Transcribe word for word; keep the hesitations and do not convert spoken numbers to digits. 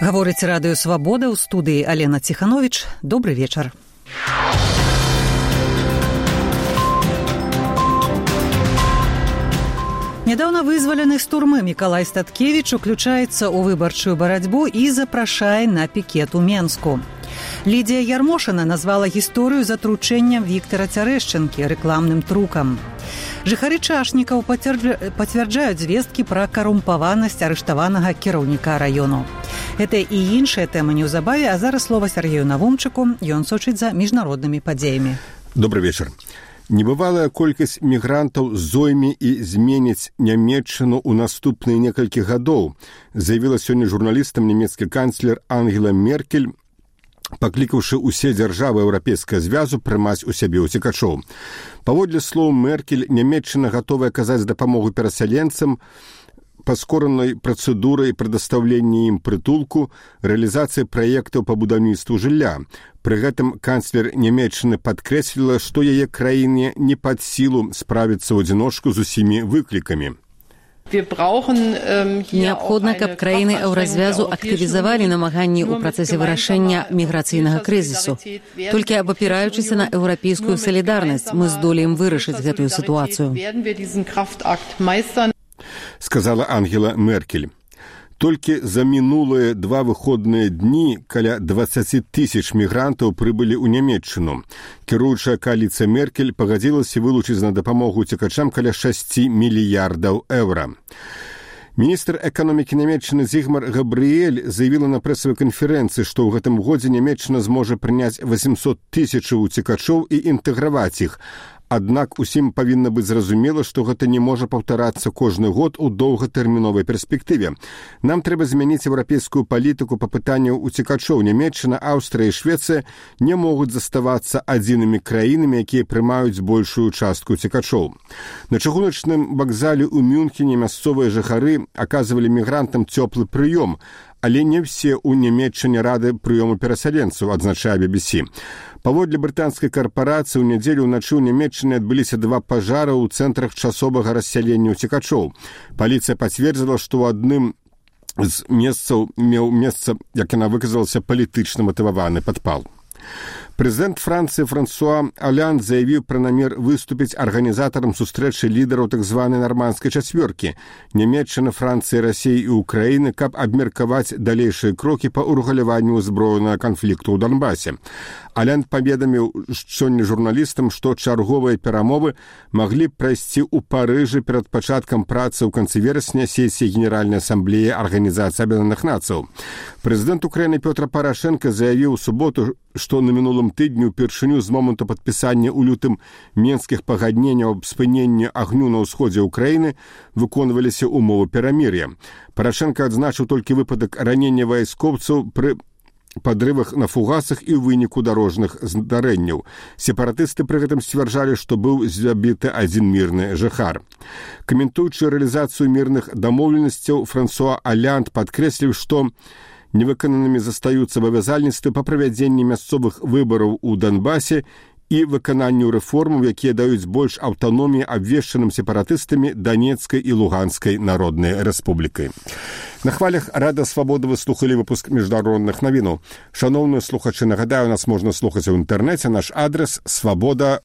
Гаворыць радыё «Свабода», ў студыі Алена Ціхановіч. Добры вечар. Нядаўна вызвалены з турмы Мікалай Статкевіч уключаецца ў выбарчую барацьбу і запрашае на пікет у Менску. Лідія Ярмошына назвала гісторыю з атручэннем Віктара Цярэшчынкі рэкламным трукам. Жыхары Чашнікаў пацвярджаюць звесткі пра карумпаванасць арыштаванага кіраўніка раёну. Гэта і іншыя тэмы неўзабаве, а зараз слова Сергею Навумчыку, ён сочыць за міжнароднымі падзеямі. Добрый вечар. Небывалая колькасць мігрантаў зойме і зменіць Нямецчыну ў наступныя некалькі гадоў, заявіла сёння журналістам нямецкі канцлер Ангела Меркель, паклікаўшы ўсе дзяржавы Еўрапейскага звязу прымаць у сябе ўцекачоў. Паводле слоў Меркель, Нямецчына гатовая аказаць дапамогу перасяленцам, паскоранай працэдурай прадастаўлення ім прытулку, рэалізацыі праектаў па будаўніцтву жылля. Пры гэтым канцлер Нямецчыны падкрэсліла, што яе краіне не пад сілу справіцца ў адзіночку з усімі выклікамі. Неабходна, каб краіны еўразвязу актывізавалі намаганні ў працэсе вырашэння міграцыйнага крызісу. Толькі абапіраючыся на еўрапейскую салідарнасць, мы здолеем вырашыць гэтую сітуацыю. Сказала Ангела Меркель. Толькі за мінулыя два выходныя дні каля дваццаць тысяч мігрантаў прыбылі ў Нямецчыну. Кіруючая кааліцыя Меркель пагадзілася вылучыць на дапамогу уцекачам каля шэсць мільярдаў еўра. Міністр эканомікі Нямецчыны Зігмар Габрыэль заявіла на прэсавай канферэнцыі, што ў гэтым годзе Нямецчына зможа прыняць восемьсот тысяч уцекачоў і інтэграваць іх. Аднак усім павінна быць зразумела, што гэта не можа паўтарацца кожны год у доўгатэрміновай перспектыве. Нам трэба змяніць еўрапейскую палітыку па пытанню уцекачоў. Нямецчына, Аўстрыя і Швецыя не могуць заставацца адзінымі краінамі, якія прымаюць большую частку уцекачоў. На чыгуначным вакзале ў Мюнхене мясцовыя жыхары аказвалі мігрантам цёплы прыём, але не ўсе ў Нямецчыне рады прыёму перасяленцаў, адзначае би би си. Паводле брытанскай карпорацыі ў нядзелю ўначы ў Нямецчыне адбыліся два пажары ў цэнтрах часовага рассялення уцекачоў. Паліцыя пацвердзіла, што ў адным з месцаў меў месца, як яна выказалася, палітычна матываваны падпал. Прэзідэнт Францыі Франсуа Олянд заявіў пра намер выступіць арганізатарам сустрэчы лідараў так званай нармандскай чацвёркі Нямецчыны, Францыі, Расіі і Украіны, каб абмеркаваць далейшыя крокі па ўрэгуляванню ўзброенага канфлікту ў Донбасе. Олянд паведаміў сёння журналістам, што чарговыя перамовы маглі б прайсці ў Парыжы перад пачаткам працы ў канцы верасня сесіі Генеральнай асамблеі Арганізацыі Аб'яднаных Нацыяў. Прэзідэнт Украіны Пётр Парашенка заявіў у суботу, што на мінулым тыдню упершыню з моманту падпісання ў лютым менскіх пагадненняў аб спыненні агню на ўсходзе Украіны выконваліся ўмовы перамір'я. Парашенка адзначыў толькі выпадак ранення вайскоўцаў пры падрывах на фугасах і ў выніку дарожных здарэнняў. Сепаратысты пры гэтым сцвярджалі, што быў забіты адзін мірны жыхар. Каментуючы рэалізацыю мірных дамоўленасцяў, Франсуа Олянд падкрэсліў, што невыкананымі застаюцца абавязальніцтвы па правядзенні мясцовых выбараў у Донбасе і выкананню рэформаў, якія даюць больш аўтаноміі абвешчаным сепаратыстамі Донецкай і Луганскай народнай рэспублікай. На хвалях Радыё Свабода вы слухалі выпуск міжнародных навінаў. Шаноўныя слухачы, нагадаю, нас можна слухаць у інтэрнэце. Наш адрес свабода